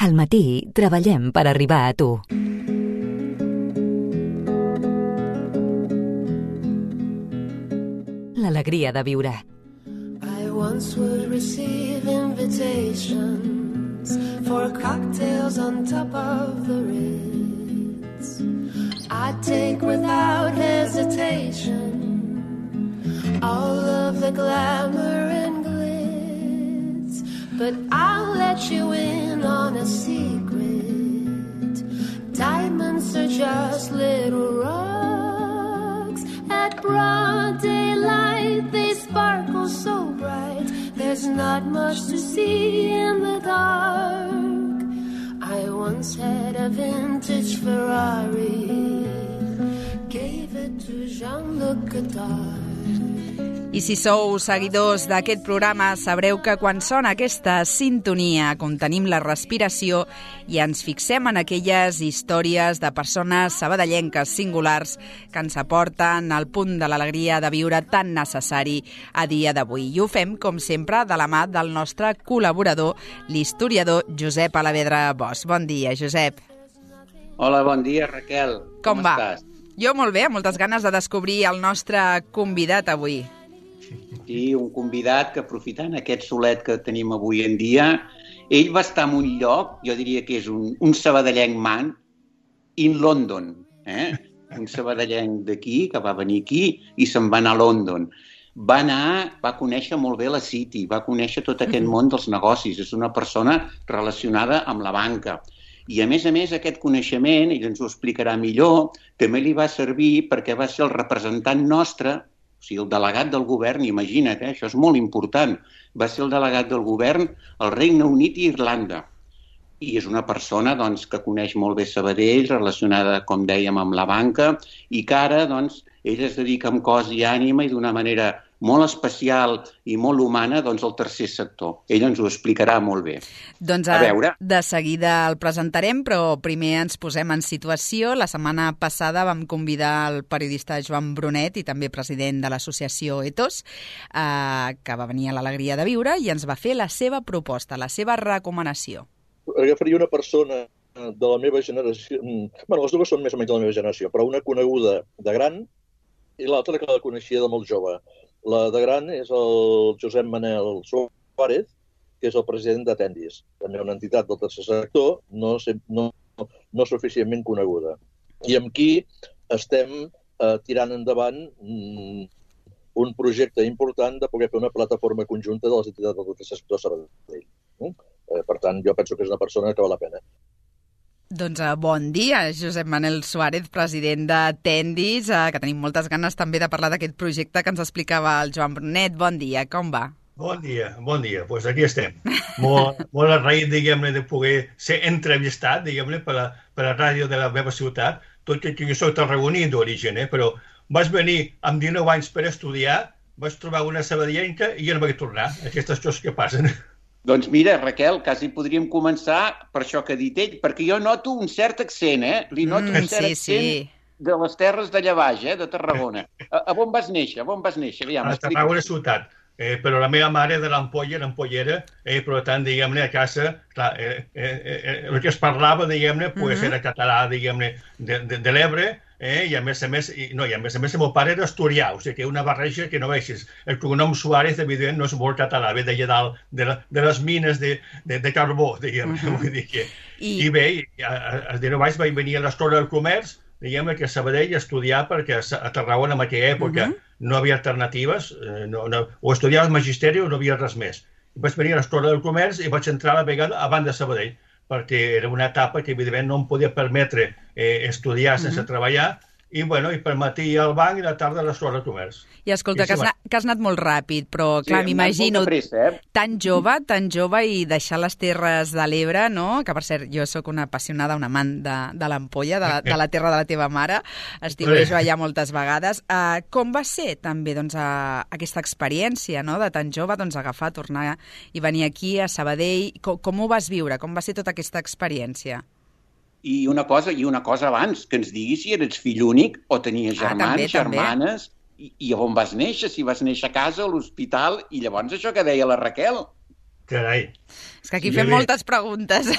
Al matí treballem per arribar a tu. L'alegria de viure. I once would receive invitations for cocktails on top of the Ritz. I'd take without hesitation all of the glamour and glitz, but I'll let you in on a secret. Diamonds are just little rocks. At broad daylight they sparkle so bright. There's not much to see in the dark. I once had a vintage Ferrari, gave it to Jean-Luc Godard. I si sou seguidors d'aquest programa, sabreu que quan sona aquesta sintonia contenim la respiració i ens fixem en aquelles històries de persones sabadellenques singulars que ens aporten al punt de l'alegria de viure tan necessari a dia d'avui. I ho fem, com sempre, de la mà del nostre col·laborador, l'historiador Josep Alavedra Bosch. Bon dia, Josep. Hola, bon dia, Raquel. Com va? Estàs? Jo molt bé, amb moltes ganes de descobrir el nostre convidat avui. Sí, un convidat que, aprofitant aquest solet que tenim avui en dia, ell va estar en un lloc, jo diria que és un sabadellenc man, in London. Un sabadellenc d'aquí, que va venir aquí i se'n va anar a London. Va conèixer molt bé la City, va conèixer tot aquest món dels negocis. És una persona relacionada amb la banca. I, a més, aquest coneixement, ell ens ho explicarà millor, també li va servir perquè va ser el representant nostre, o sigui, el delegat del govern, imagina't, això és molt important, va ser el delegat del govern al Regne Unit i Irlanda. I és una persona doncs, que coneix molt bé Sabadell, relacionada, com dèiem, amb la banca, i que ara ell es dedica amb cos i ànima i d'una manera molt especial i molt humana al tercer sector. Ell ens ho explicarà molt bé. Doncs a veure. De seguida el presentarem, però primer ens posem en situació. La setmana passada vam convidar el periodista Joan Brunet i també president de l'associació Ethos, que va venir a l'Alegria de Viure i ens va fer la seva proposta, la seva recomanació. Agafaria una persona de la meva generació, les dues són més o menys de la meva generació, però una coneguda de gran i l'altra que la coneixia de molt jove. La de gran és el Josep Manel Suárez, que és el president d'Atendis, també una entitat del tercer sector, no suficientment coneguda. I amb qui estem tirant endavant un projecte important de poder fer una plataforma conjunta de les entitats del tercer sector Sabadell. Per tant, jo penso que és una persona que val la pena. Doncs bon dia, Josep Manel Suárez, president d'Atendis, que tenim moltes ganes també de parlar d'aquest projecte que ens explicava el Joan Brunet. Bon dia, com va? Bon dia. Doncs aquí estem. Molt agraït, diguem-ne, de poder ser entrevistat, diguem-ne, per la ràdio de la meva ciutat, tot i que jo soc tarragoní d'origen, però vaig venir amb 19 anys per estudiar, vaig trobar una sabadellenca i ja no vaig tornar. Aquestes coses que passen. Doncs mira, Raquel, quasi podríem començar per això que ha dit ell, perquè jo noto un cert accent, Li noto un cert accent de les terres d'allà baix, de Tarragona. A on vas néixer? A Tarragona ciutat. Però la meva mare de l'Ampolla, l'Ampollera, per tant, diguem-ne, a casa, clar, el que es parlava, diguem-ne, era català, diguem-ne, de l'Ebre, i a més a més, el meu pare era asturià, o sigui que una barreja que no veixis. El cognom Suárez, evident, no és molt català, ve d'allà dalt, de les mines de carbó, diguem-ne, vull dir que... I bé, als 19 anys vaig venir a l'Escola del Comerç, diguem-ne, que a Sabadell a estudiar, perquè a Tarragona en aquella època no havia alternatives, o estudiaves magisteri o no havia res més. Vaig venir a l'Escola del Comerç i vaig entrar a la vegada abans de Sabadell, perquè era una etapa que, evidentment, no em podia permetre estudiar sense treballar, i per matí al banc i a la tarda a l'Escola de Comerç. I escolta, que has anat molt ràpid, però clar, m'imagino tan jove i deixar les Terres de l'Ebre, no? Que per cert, jo sóc una apassionada, una amant de l'Ampolla, de la terra de la teva mare, estiuejo allà moltes vegades. Com va ser també aquesta experiència de tan jove, agafar, tornar i venir aquí a Sabadell? Com ho vas viure? Com va ser tota aquesta experiència? I una cosa abans, que ens diguis si eres fill únic o tenies germans, germanes, i on vas néixer, si vas néixer a casa, a l'hospital, i llavors això que deia la Raquel. Carai. És que aquí fem moltes preguntes.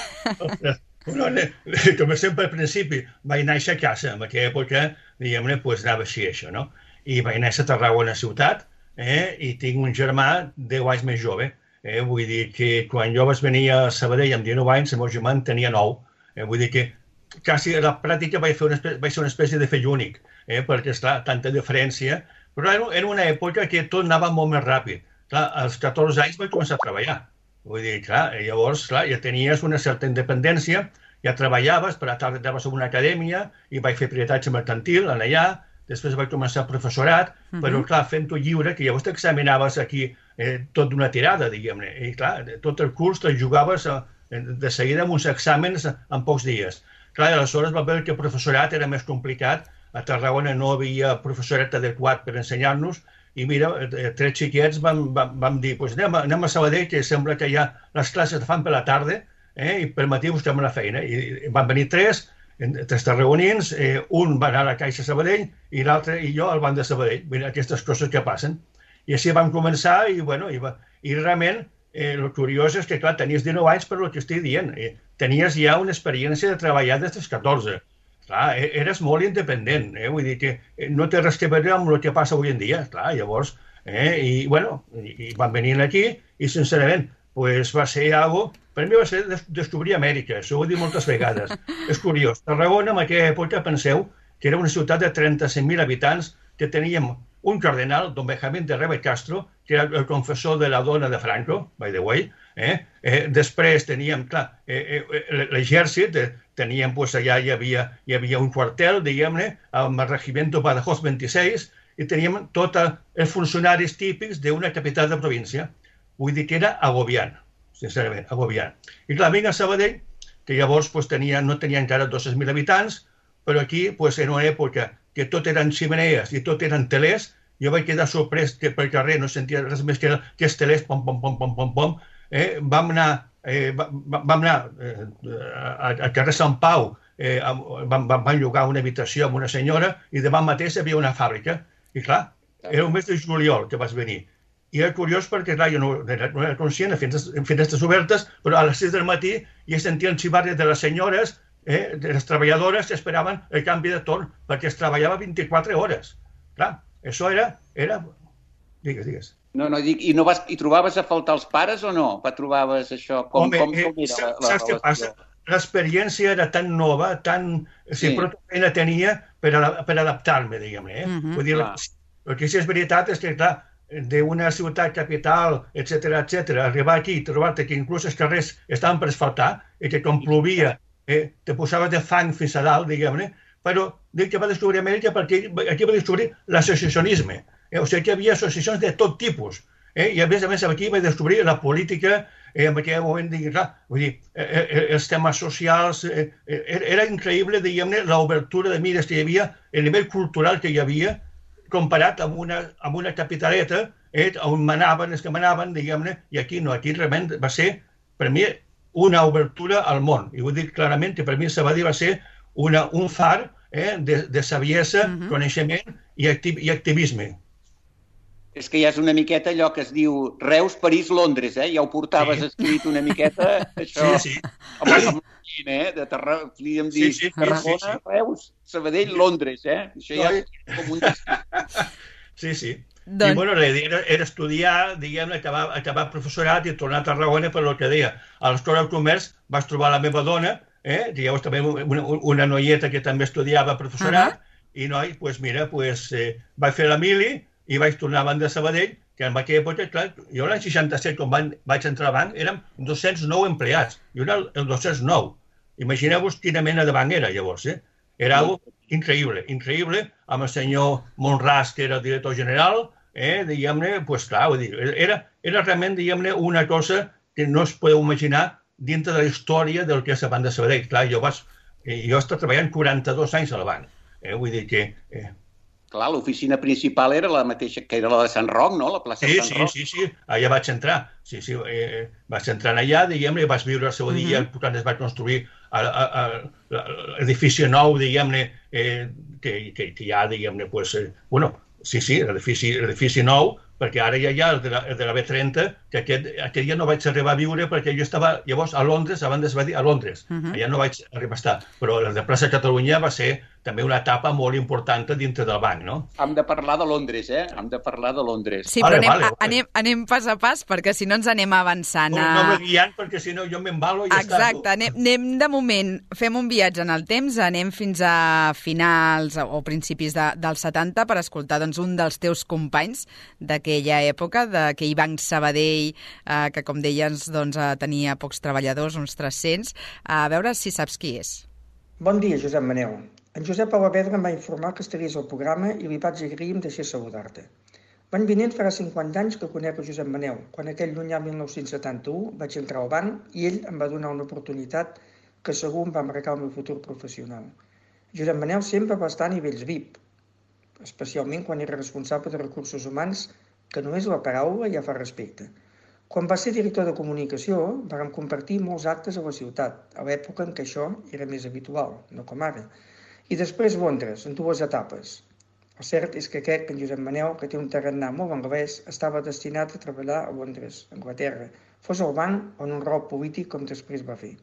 Com sempre al principi, vaig néixer a casa. En aquella època, diguem-ne, anava així, això, no? I vaig néixer a Tarragona ciutat, i tinc un germà 10 anys més jove. Vull dir que quan jo vaig venir a Sabadell amb 19 anys, el meu germà en tenia 9. Vull dir que quasi a la pràctica vaig ser una espècie de fill únic, perquè, esclar, tanta diferència. Però era una època que tot anava molt més ràpid. Clar, als 14 anys vaig començar a treballar. Vull dir, clar, llavors, clar, ja tenies una certa independència, ja treballaves, per la tarda anaves a una acadèmia i vaig fer peritatge mercantil allà, després vaig començar professorat, però, clar, fent-ho lliure, que llavors t'examinaves aquí tot d'una tirada, diguem-ne, i, clar, tot el curs te'l jugaves de seguida amb uns exàmens en pocs dies. Clar, aleshores va veure que el professorat era més complicat, a Tarragona no havia professorat adequat per ensenyar-nos, i mira, 3 xiquets vam dir, anem a Sabadell, que sembla que ja les classes es fan per la tarda, i per matí busquem la feina. I van venir 3 tarragonins, un va anar a la Caixa Sabadell i l'altre i jo al banc de Sabadell. Mira, aquestes coses que passen. I així vam començar i realment el curiós és que, clar, tenies 19 anys per el que estic dient. Tenies ja una experiència de treballar des dels 14. Clar, eres molt independent, vull dir que no té res a veure amb el que passa avui en dia, clar, llavors, i van venir aquí i, sincerament, va ser algo, per mi va ser descobrir Amèrica, això ho he dit moltes vegades. És curiós, Tarragona en aquella època, penseu, que era una ciutat de 35.000 habitants, que teníem un cardenal, don Benjamín de Rebe Castro, que era el confessor de la dona de Franco, by the way. Després teníem, clar, l'exèrcit, teníem, allà hi havia un quartel, diguem-ne, amb el Regimiento Badajoz 26, i teníem tots els funcionaris típics d'una capital de província. Vull dir que era agobiant, sincerament, agobiant. I clar, vinc a Sabadell, que llavors no tenia encara 200.000 habitants, però aquí, en una època que tot eren ximenees i tot eren telers, jo vaig quedar sorprès que pel carrer no sentia res més que els telers, pom, pom, pom, pom, pom, pom. Vam anar al carrer Sant Pau, vam llogar una habitació amb una senyora i davant mateix hi havia una fàbrica. I clar, era el mes de juliol que vas venir. I era curiós perquè, clar, jo no era conscient, en finestres obertes, però a les 6 del matí ja sentia el xivarri de les senyores, de les treballadores que esperaven el canvi de torn, perquè es treballava 24 hores. Clar, això era... Digues. No, dic, i trobaves a faltar els pares o no? Trobaves això? Com era saps què passa? L'experiència era tan nova, però feina tenia per adaptar-me, diguem-ne. Vull dir, el que sí és veritat és que, clar, d'una ciutat capital, etc., arribar aquí i trobar-te que inclús els carrers estaven per asfaltar i que quan plovia te posaves de fang fins a dalt, diguem-ne, però dic que va descobrir Amèrica perquè aquí va descobrir l'associacionisme. O sigui que hi havia associacions de tot tipus. I a més aquí va descobrir la política, en aquell moment, vull dir, els temes socials, era increïble, diguem-ne, l'obertura de mires que hi havia, el nivell cultural que hi havia, comparat amb una capitaleta, on manaven els que manaven, diguem-ne, i aquí no, aquí realment va ser, per mi, una obertura al món. I vull dir clarament que per mi Sabadell va ser un far de saviesa, coneixement i activisme. És que ja és una miqueta allò que es diu Reus, París, Londres, ja ho portaves escrit una miqueta, això. Sí. Amb de Tarragona, podríem dir Tarragona, Reus, Sabadell, Londres, Això ja és com un destí. Sí. I bueno, la idea era estudiar, diguem-ne, acabar professorat i tornar a Tarragona, per el que deia. A l'Escola de Comerç vaig trobar la meva dona, llavors també una noieta que també estudiava professorat, i noi, mira, vaig fer la mili, i vaig tornar a banc de Sabadell, que en aquella època, clar, jo l'any 67, quan vaig entrar al banc, érem 209 empleats. Jo era el 209. Imagineu-vos quina mena de banc era, llavors. Era algo increïble, amb el senyor Monràs, que era el director general, diguem-ne, clar, era realment, diguem-ne, una cosa que no es podeu imaginar dintre de la història del que és el banc de Sabadell. Clar, jo he estat treballant 42 anys al banc. Vull dir que... Clar, l'oficina principal era la mateixa que era la de Sant Roc, no? La plaça de Sant Roc. Sí, allà vaig entrar. Sí, vaig entrar allà, diguem-ne, vaig viure el seu dia, quan es va construir l'edifici nou, diguem-ne, que hi ha, diguem-ne, l'edifici nou, perquè ara ja hi ha el de la B30, que aquest dia no vaig arribar a viure perquè jo estava llavors a Londres, abans es va dir a Londres. Allà no vaig arribar a estar. Però el de Plaça Catalunya va ser també una etapa molt important dintre del banc, no? Hem de parlar de Londres, Hem de parlar de Londres. Sí, però anem pas a pas, perquè si no ens anem avançant. No me guiant, perquè si no jo m'embalo i ja està. Exacte, anem de moment, fem un viatge en el temps, anem fins a finals o principis dels 70 per escoltar un dels teus companys d'aquella època, d'aquell banc Sabadell, que com deies tenia pocs treballadors, uns 300. A veure si saps qui és. Bon dia, Josep Manel. En Josep Alavedra em va informar que estaries al programa i li vaig agrair i em deixés saludar-te. L'any vinent farà 50 anys que conec a Josep Manel, quan aquell llunyà 1971 vaig entrar al banc i ell em va donar una oportunitat que segur em va marcar el meu futur professional. Josep Manel sempre va estar a nivells VIP, especialment quan era responsable de recursos humans, que només la paraula ja fa respecte. Quan va ser director de comunicació, vam compartir molts actes a la ciutat, a l'època en què això era més habitual, no com ara. I després Londres, en 2 etapes. El cert és que crec que en Josep Manel, que té un tarannà molt anglès, estava destinat a treballar a Londres, Anglaterra, fos al banc o en un rol polític com després va fer.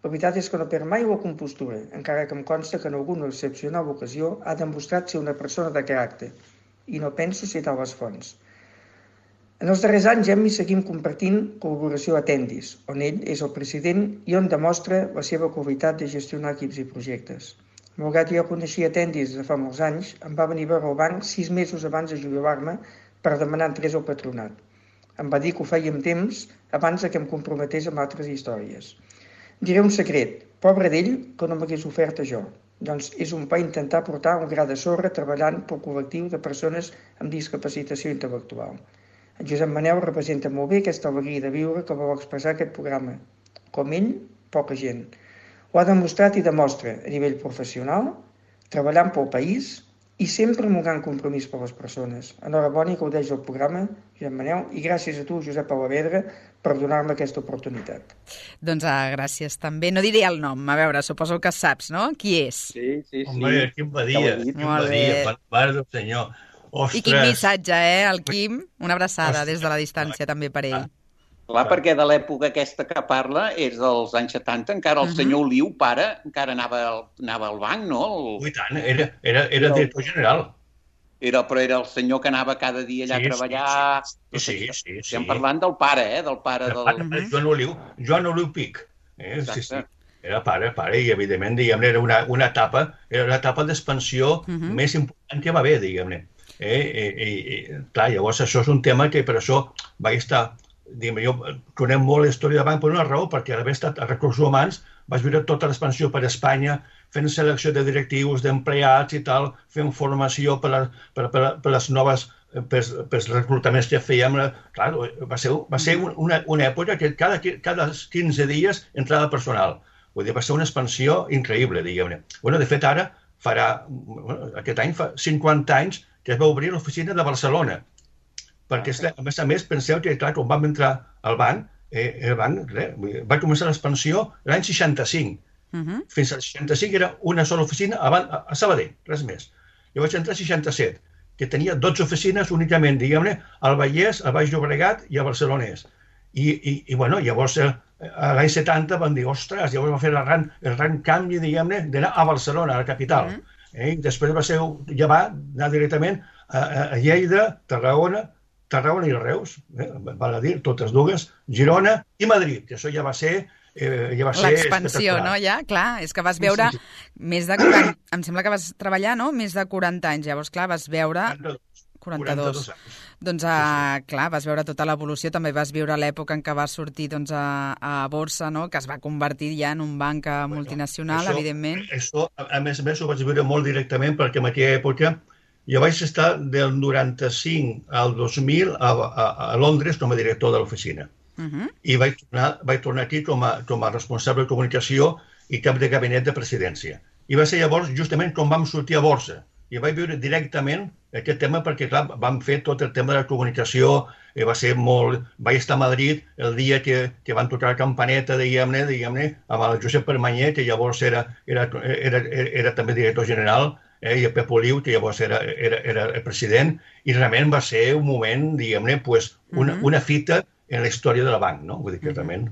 La veritat és que no perd mai la compostura, encara que em consta que en alguna excepcional ocasió ha demostrat ser una persona de caràcter, i no penso citar les fonts. En els darrers anys hem i seguim compartint col·laboració a Tendis, on ell és el president i on demostra la seva qualitat de gestionar equips i projectes. Malgrat que jo coneixia Tendis de fa molts anys, em va venir a veure al banc 6 mesos abans de jubilar-me per demanar entrés al patronat. Em va dir que ho feia amb temps abans que em comprometés amb altres històries. Diré un secret, pobre d'ell que no m'hagués ofert a jo. Doncs és un pa intentar portar un gra de sorra treballant pel col·lectiu de persones amb discapacitació intel·lectual. En Josep Manel representa molt bé aquesta alegria de viure que vol expressar aquest programa. Com ell, poca gent. Ho ha demostrat i demostra a nivell professional, treballant pel país i sempre amb un gran compromís per les persones. Enhorabona i gaudeix del programa, Josep Manel, i gràcies a tu, Josep Alavedra, per donar-me aquesta oportunitat. Doncs gràcies també. No diré el nom, a veure, suposo que saps, no? Qui és? Sí. Home, quin badia, mare del senyor. Ostres. I quin missatge, el Quim? Una abraçada des de la distància també per ell. Clar, perquè de l'època aquesta que parla és dels anys 70, encara el senyor Oliu, pare, encara anava al banc, no? I tant, era director general. Però era el senyor que anava cada dia allà a treballar. Sí. Estem parlant del pare, del pare del... Joan Oliu Pic. Sí. Era pare, i evidentment, diguem-ne, era una etapa d'expansió més important que va haver, diguem-ne. Clar, llavors això és un tema que per això vaig estar, jo conec molt la història del banc per una raó, perquè a l'haver estat a recursos humans vaig viure tota l'expansió per Espanya, fent selecció de directius, d'empleats i tal, fent formació per les noves, pels reclutaments que fèiem. Clar, va ser una època que cada 15 dies entrava personal. Vull dir, va ser una expansió increïble, diguem-ne. De fet, ara aquest any fa 50 anys que es va obrir l'oficina de Barcelona. Perquè, a més, penseu que, clar, quan vam entrar al banc, el banc va començar l'expansió l'any 65. Fins al 65 era una sola oficina a Sabadell, res més. Jo vaig entrar al 67, que tenia 12 oficines únicament, diguem-ne, al Vallès, al Baix Llobregat i a Barcelonès. I llavors, l'any 70 van dir, ostres, llavors va fer el gran canvi, diguem-ne, d'anar a Barcelona, a la capital. Després ja va anar directament a Lleida, Tarragona i Reus, val a dir, totes dues, Girona i Madrid, que això ja va ser l'expansió, no? Ja, clar, és que vas veure més de 40... Em sembla que vas treballar, no?, més de 40 anys. Llavors, clar, vas veure... 42 anys. Doncs, clar, vas veure tota l'evolució, també vas viure l'època en què vas sortir a borsa, no?, que es va convertir ja en un banc multinacional, evidentment. Això, a més, ho vaig viure molt directament, perquè en aquella època jo vaig estar del 95 al 2000 a Londres com a director de l'oficina. I vaig tornar aquí com a responsable de comunicació i cap de gabinet de presidència. I va ser llavors justament quan vam sortir a borsa. I vaig viure directament aquest tema perquè, clar, vam fer tot el tema de la comunicació, vaig estar a Madrid el dia que van tocar la campaneta, diguem-ne, amb el Josep Permanyer, que llavors era també director general, i el Pep Oliu, que llavors era el president, i realment va ser un moment, diguem-ne, una fita en la història del banc, no? Vull dir que realment...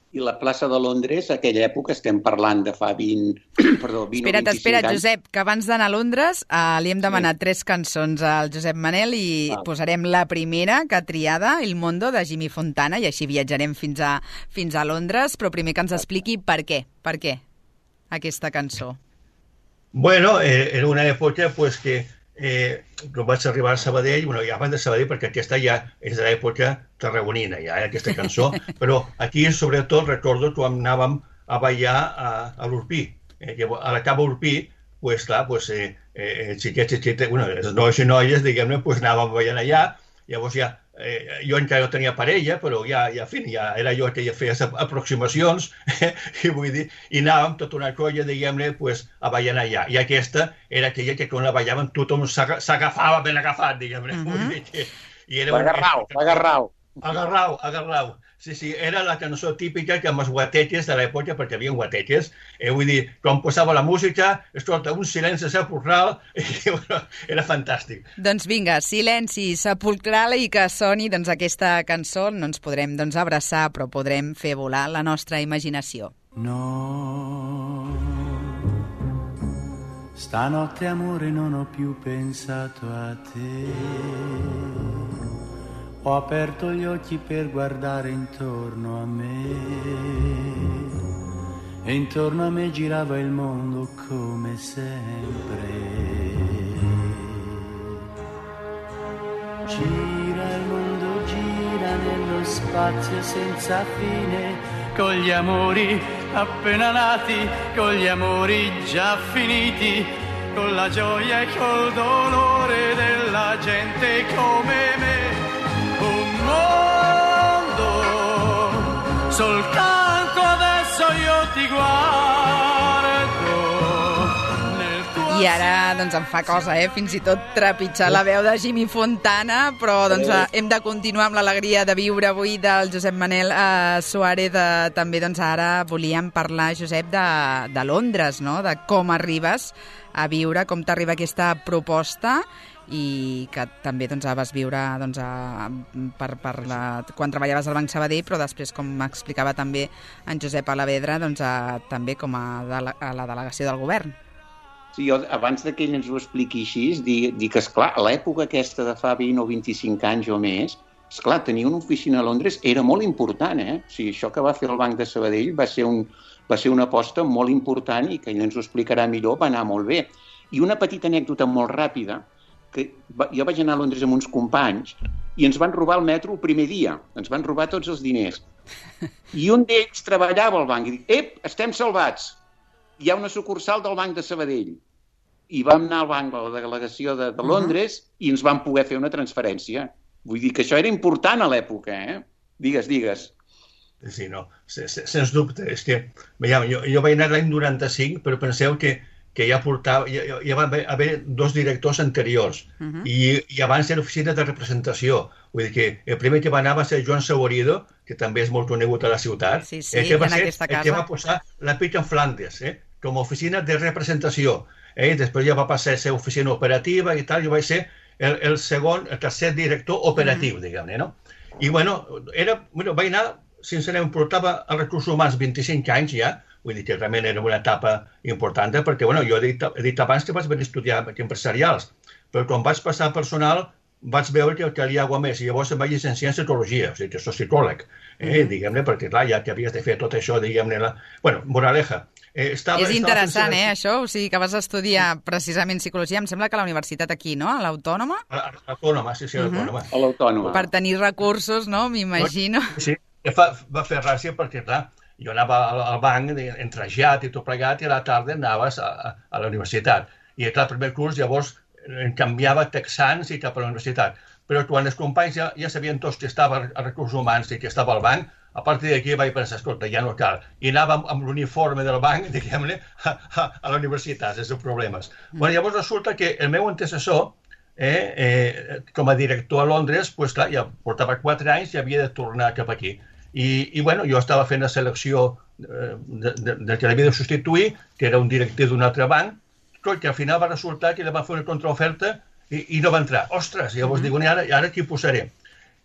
I la plaça de Londres, a aquella època, estem parlant de fa 20 o 25 anys. Espera't, Josep, que abans d'anar a Londres li hem demanat 3 cançons al Josep Manel i posarem la primera que ha triada, El Mondo, de Jimmy Fontana, i així viatjarem fins a Londres, però primer que ens expliqui per què aquesta cançó. Bueno, era una època que quan vaig arribar a Sabadell, ja abans de Sabadell, perquè aquesta ja és de l'època tarragonina, ja aquesta cançó, però aquí sobretot recordo quan anàvem a ballar a l'Urpí. A la cava Urpí, xiquets, els nois i noies, diguem-ne, anàvem ballant allà, llavors ja jo encara no tenia parella, però ja era jo que ja feia aproximacions, i anàvem tota una colla, diguem-ne, a ballar allà. I aquesta era aquella que quan la ballaven tothom s'agafava ben agafat, diguem-ne. Agarrau. Sí, era la cançó típica que amb els guateques de l'època, perquè hi havia guateques, vull dir, quan posava la música, escolta, un silenci sepulcral, era fantàstic. Doncs vinga, silenci sepulcral i que soni aquesta cançó, no ens podrem abraçar, però podrem fer volar la nostra imaginació. No, stanotte amore non ho più pensato a te. Ho aperto gli occhi per guardare intorno a me e intorno a me girava il mondo come sempre. Gira il mondo, gira nello spazio senza fine, con gli amori appena nati, con gli amori già finiti, con la gioia e col dolore della gente come me. Soltanto adesso io ti guardo. I ara em fa cosa, fins i tot trepitjar la veu de Jimmy Fontana, però hem de continuar amb l'alegria de viure avui del Josep Manel Suárez. També ara volíem parlar, Josep, de Londres, no? De com arribes a viure, com t'arriba aquesta proposta, i que també vas viure quan treballaves al Banc Sabadell, però després, com m'explicava també en Josep Alavedra, també com a la delegació del govern. Sí, jo, abans que ell ens ho expliqui així, dic que, esclar, a l'època aquesta de fa 20 o 25 anys o més, esclar, tenir una oficina a Londres era molt important, O sigui, això que va fer el Banc de Sabadell va ser una aposta molt important i que ell ens ho explicarà millor, va anar molt bé. I una petita anècdota molt ràpida, que jo vaig anar a Londres amb uns companys i ens van robar el metro el primer dia, ens van robar tots els diners. I un d'ells treballava al banc i dic, estem salvats, hi ha una sucursal del Banc de Sabadell. I vam anar al banc de la delegació de Londres i ens van poder fer una transferència. Vull dir que això era important a l'època, Digues. Sí, no, sens dubte. És que, jo vaig anar l'any 95, però penseu que ja va haver 2 directors anteriors i abans era oficina de representació. Vull dir que el primer que va anar va ser Joan Saborido, que també és molt conegut a la ciutat, que va ser el que va posar la Pitt and Flanders com a oficina de representació. Després ja va passar a ser oficina operativa i tal, jo vaig ser el tercer director operatiu, diguem-ne, no? I, vaig anar, sincerament, portava a recursos humans 25 anys ja, vull dir que realment era una etapa important, perquè jo he dit abans que vaig venir a estudiar empresarials, però quan vaig passar a personal vaig veure que calia alguna més, i llavors em vaig llicenciar en psicologia, o sigui que soc psicòleg, diguem-ne, perquè clar, ja que havies de fer tot això, diguem-ne, moraleja. És interessant, això? O sigui, que vas estudiar precisament psicologia, em sembla que a la universitat aquí, no? A l'Autònoma? A l'Autònoma, sí, a l'Autònoma. A l'Autònoma. Per tenir recursos, no? M'imagino. Sí, va fer gràcia perquè, clar, jo anava al banc, entrejat i tot plegat, i a la tarda anaves a la universitat. I, clar, el primer curs, llavors, em canviava texans i cap a la universitat. Però quan els companys ja sabien tots que estava a recursos humans i que estava al banc, a partir d'aquí vaig pensar, escolta, ja no cal. I anàvem amb l'uniforme del banc, diguem-ne, a la universitat, sense problemes. Llavors resulta que el meu antecessor, com a director a Londres, clar, ja portava 4 anys i havia de tornar cap aquí. I jo estava fent la selecció del que l'havia de substituir, que era un directiu d'un altre banc, que al final va resultar que ella va fer una contraoferta i no va entrar. Ostres, llavors diu, ara qui posaré?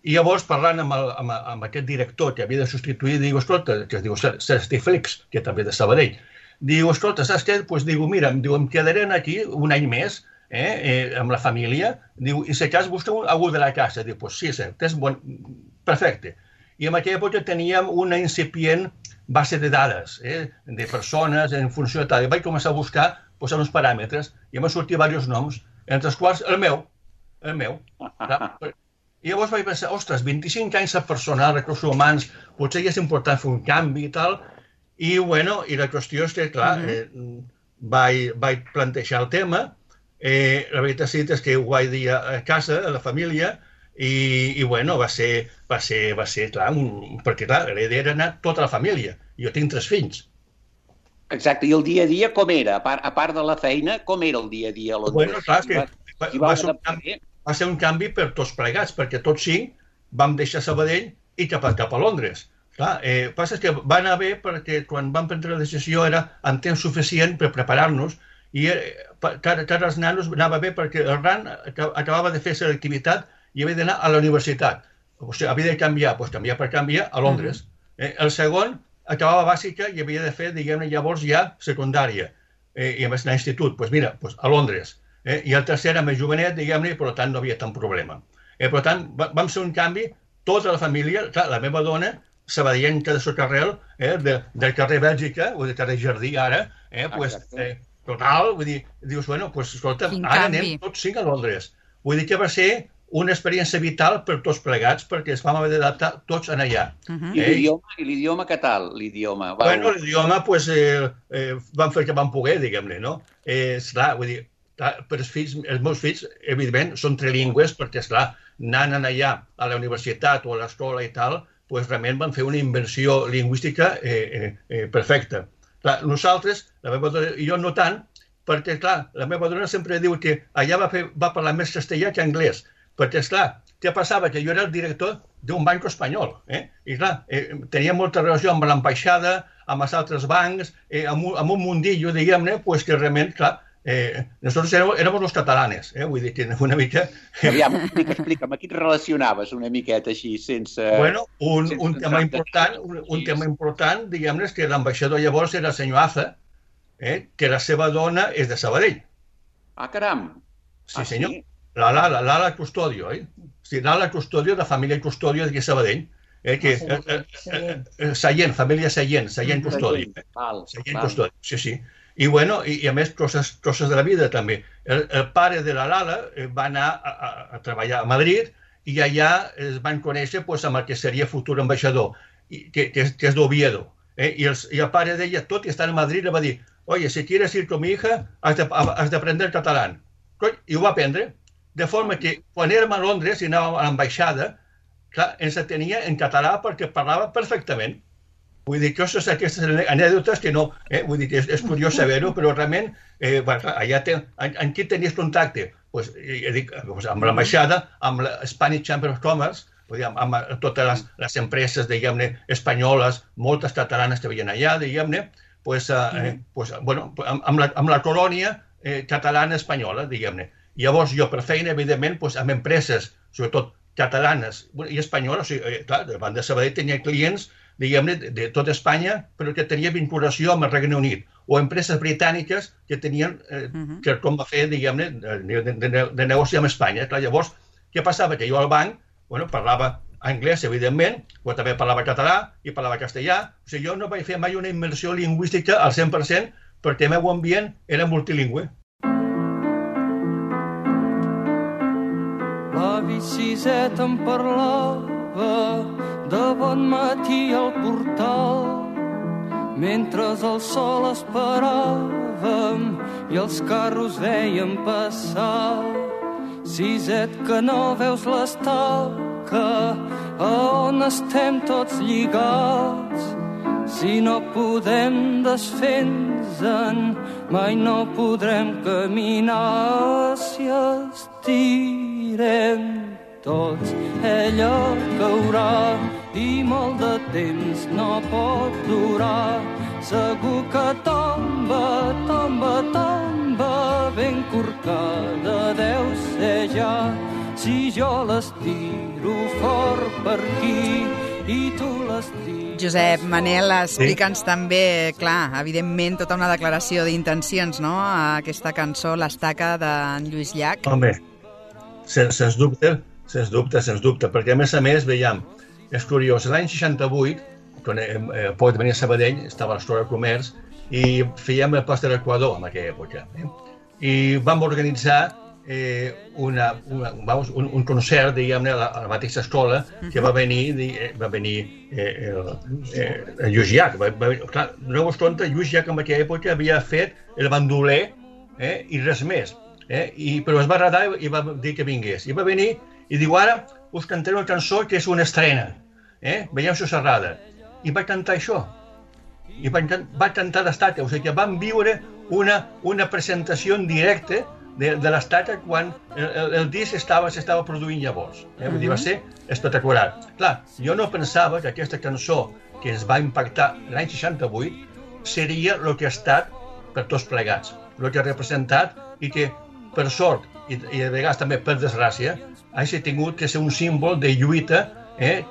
I llavors, parlant amb aquest director que havia de substituir, diu, escolta, que es diu Sergi Flix, que també de Sabadell, diu, escolta, saps què? Doncs diu, mira, em quedaré aquí un any més, amb la família, diu, i si cas busca algú de la casa. Diu, doncs sí, és bon, perfecte. I en aquella època teníem una incipient base de dades, de persones en funció de tal. I vaig començar a buscar, posar uns paràmetres, i em van sortir diversos noms, entre els quals el meu. I llavors vaig pensar, ostres, 25 anys a personal, recursos humans, potser ja és important fer un canvi i tal. I, bueno, i la qüestió és que, clar, vaig plantejar el tema. La veritat és que ho vaig dir a casa, a la família, i bueno, va ser, clar, perquè, clar, la idea era anar tota la família. Jo tinc 3 fills. Exacte, i el dia a dia com era? A part de la feina, com era el dia a dia a Londres? Bueno, clar, que va ser un canvi per tots plegats, perquè tots 5 vam deixar Sabadell i cap a Londres. Clar, passa que va anar bé perquè quan vam prendre la decisió era amb temps suficient per preparar-nos i cada els nanos anava bé perquè el RAN acabava de fer selectivitat i havia d'anar a la universitat. O sigui, havia de canviar, doncs canviar per canviar a Londres. El segon acabava bàsica i havia de fer, diguem-ne, llavors ja secundària. I a més anar a institut, doncs mira, a Londres. I el tercer era més jovenet, diguem-ne, i per tant no havia tant problema. Per tant, vam fer un canvi, tota la família, clar, la meva dona, sabadellenca de Socarrel, del carrer Bèlgica, o del carrer Jardí ara, total, vull dir, dius, bueno, escolta, ara anem tots 5 a Londres. Vull dir que va ser una experiència vital per tots plegats, perquè es vam haver d'adaptar tots en allà. I l'idioma què tal? Bueno, l'idioma, doncs, vam fer el que vam poder, diguem-ne, no? Esclar, vull dir, per els meus fills, evidentment, són trilingües, perquè, esclar, anant allà a la universitat o a l'escola i tal, doncs realment van fer una inversió lingüística perfecta. Clar, nosaltres, la meva dona i jo no tant, perquè, clar, la meva dona sempre diu que allà va parlar més castellà que anglès, perquè, esclar, què passava? Que jo era el director d'un banc espanyol, i, clar, tenia molta relació amb l'ambaixada, amb els altres bancs, amb un mundillo, diguem-ne, pues que realment, clar, nosotros éramos los catalanes, vull dir que una mica... Aviam, explica'm, aquí et relacionaves una miqueta així, sense... Bueno, un tema important, diguem-ne, és que l'ambaixador llavors era el senyor Aza, que la seva dona és de Sabadell. Ah, caram! Sí, senyor. L'Ala Custodio, Sí, l'Ala Custodio, de família Custodio de Sabadell. Sallent, família Sallent Custodio. Sallent Custodio, sí. I, bueno, i a més, coses de la vida, també. El pare de la Lala va anar a treballar a Madrid i allà es van conèixer amb el que seria futur ambaixador, que és d'Oviedo. Y el padre de ella, tot i estar en Madrid, le va dir, oye, si quieres ir con mi hija, has de aprender catalán. I ho va aprendre, de forma que quan érem a Londres i anàvem a l'ambaixada, clar, ens atenia en català perquè parlava perfectament. Vull dir que aquestes anècdotes que no, vull dir que és curiós saber-ho, però realment, allà amb qui tenies contacte? Amb l'ambaixada, amb la Spanish Chamber of Commerce, amb totes les empreses, diguem-ne, espanyoles, moltes catalanes que veien allà, diguem-ne, amb la colònia catalana espanyola, diguem-ne. Llavors jo, per feina, evidentment, amb empreses, sobretot catalanes i espanyoles, clar, davant de Sabadell tenia clients, diguem-ne, de tot Espanya, però que tenia vinculació amb el Regne Unit, o empreses britàniques que tenien, com va fer, diguem-ne, de negoci amb Espanya. Llavors, què passava? Que jo al banc, parlava anglès, evidentment, però també parlava català i parlava castellà. O sigui, jo no vaig fer mai una immersió lingüística al 100% perquè el meu ambient era multilingüe. L'avi Siset em parlava de bon matí al portal mentre el sol esperàvem i els carros veiem passar. Siset, que no veus l'estaca a on estem tots lligats. Si no podem desfer-nos-en, mai no podrem caminar. Si estirem tots, ella caurà i molt de temps no pot durar. Segur que tomba, tomba, tomba corcada deu ser ja, si jo les tiro fort per aquí i tu les tires... Josep Manel, explica'ns també, clar, evidentment, tota una declaració d'intencions, no?, a aquesta cançó, l'Estaca d'en Lluís Llach. Home, sens dubte, perquè a més, veiem, és curiós, l'any 68, quan poc de venir a Sabadell, estava a l'Escola de Comerç, i fèiem el Post de l'Equador en aquella època. I vam organitzar un concert, diguem-ne, a la mateixa escola, que va venir Lluís Llach. Clar, doneu-vos compte, Lluís Llach en aquella època havia fet el bandoler i res més. Però es va agradar i va dir que vingués. I va venir i diu, ara us cantaré una cançó que és una estrena. Veiem si us agrada. I vaig cantar això. I vaig cantar l'Estaca. O sigui que vam viure una presentació en directe de l'Estaca quan el disc s'estava produint llavors. Vull dir, va ser espectacular. Clar, jo no pensava que aquesta cançó que ens va impactar l'any 68 seria el que ha estat per tots plegats, el que ha representat i que, per sort, i de vegades també per desgràcia, hagi tingut que ser un símbol de lluita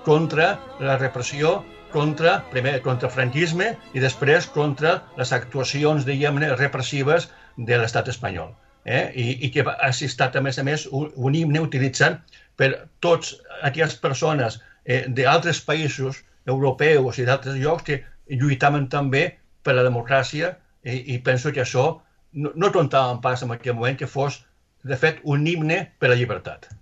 contra la repressió, primer contra el franquisme i després contra les actuacions, diguem-ne, repressives de l'estat espanyol. I que ha estat, a més, un himne utilitzat per tots aquelles persones d'altres països europeus i d'altres llocs que lluitaven també per la democràcia i penso que això no comptàvem pas en aquell moment que fos, de fet, un himne per la llibertat.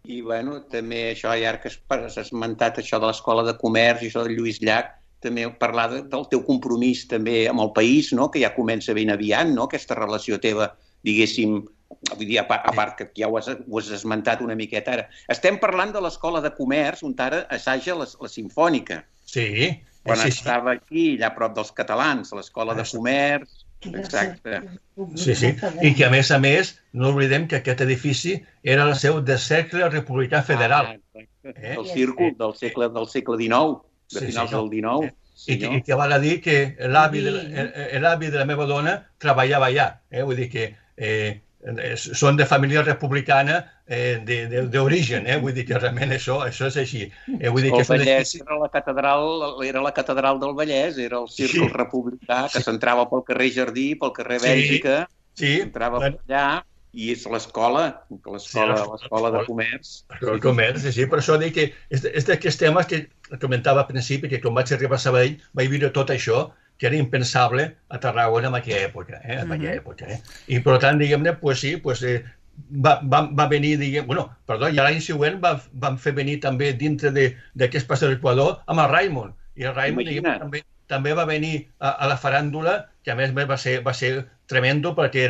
I, bueno, també això, ja que has esmentat això de l'Escola de Comerç i això de Lluís Llach, també parlar del teu compromís també amb el país, no?, que ja comença ben aviat, no?, aquesta relació teva, diguéssim, vull dir, a part que ja ho has esmentat una miqueta ara. Estem parlant de l'Escola de Comerç, on ara assaja la Simfònica. Sí. Quan estava aquí, allà a prop dels catalans, a l'Escola de Comerç. Exacte. Sí. I que, a més, no oblidem que aquest edifici era la seu del Cercle Republicà Federal. Del círcul del segle XIX, de finals del XIX. I que val a dir que l'avi de la meva dona treballava allà. Vull dir que són de família republicana d'origen, vull dir que realment això és així. El Vallès era la catedral del Vallès, era el círcul republicà que s'entrava pel carrer Jardí, pel carrer Bèlgica, entrava per allà, i és l'escola de comerç. El comerç, sí, per això dic que és d'aquests temes que comentava al principi, que quan vaig arribar a Sabadell vaig viure tot això, que era impensable a Tarragona en aquella època. I per tant, diguem-ne, va venir, i l'any següent van fer venir també dintre d'aquest pas de l'Equador amb el Raimon. I el Raimon també va venir a la faràndula, que a més va ser tremendo perquè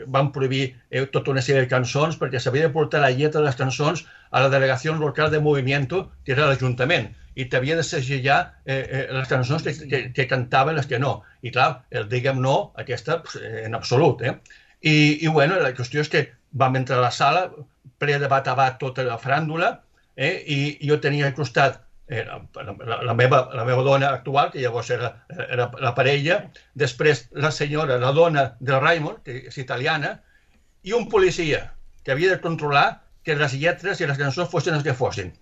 van prohibir tota una sèrie de cançons perquè s'havia de portar la lletra de les cançons a la delegació local de Movimiento, que era l'Ajuntament, i t'havia de segellar les cançons que cantaven, les que no. I clar, el diguem no, aquesta en absolut. I bueno, la qüestió és que vam entrar a la sala, ple de bat a bat tota la faràndula, i jo tenia al costat la meva dona actual, que llavors era la parella, després la senyora, la dona del Raimon, que és italiana, i un policia que havia de controlar que les lletres i les cançons fossin les que fossin.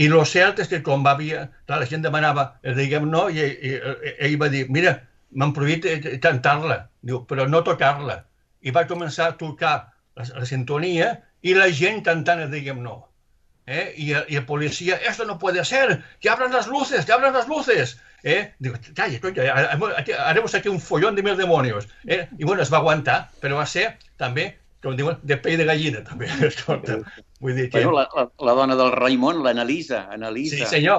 I el cert és que quan la gent demanava el diguem no, i ell va dir, mira, m'han prohibit cantar-la, però no tocar-la. I va començar a tocar la sintonia i la gent cantant el diguem no. Y el policía, esto no puede ser, que abran las luces, que abran las luces. Digo, calla, haremos aquí un follón de mil demonios. Y bueno, es va aguantar, però va ser també, com diuen, de pell de gallina, també. Vull dir que... La dona del Raimon, l'Analisa.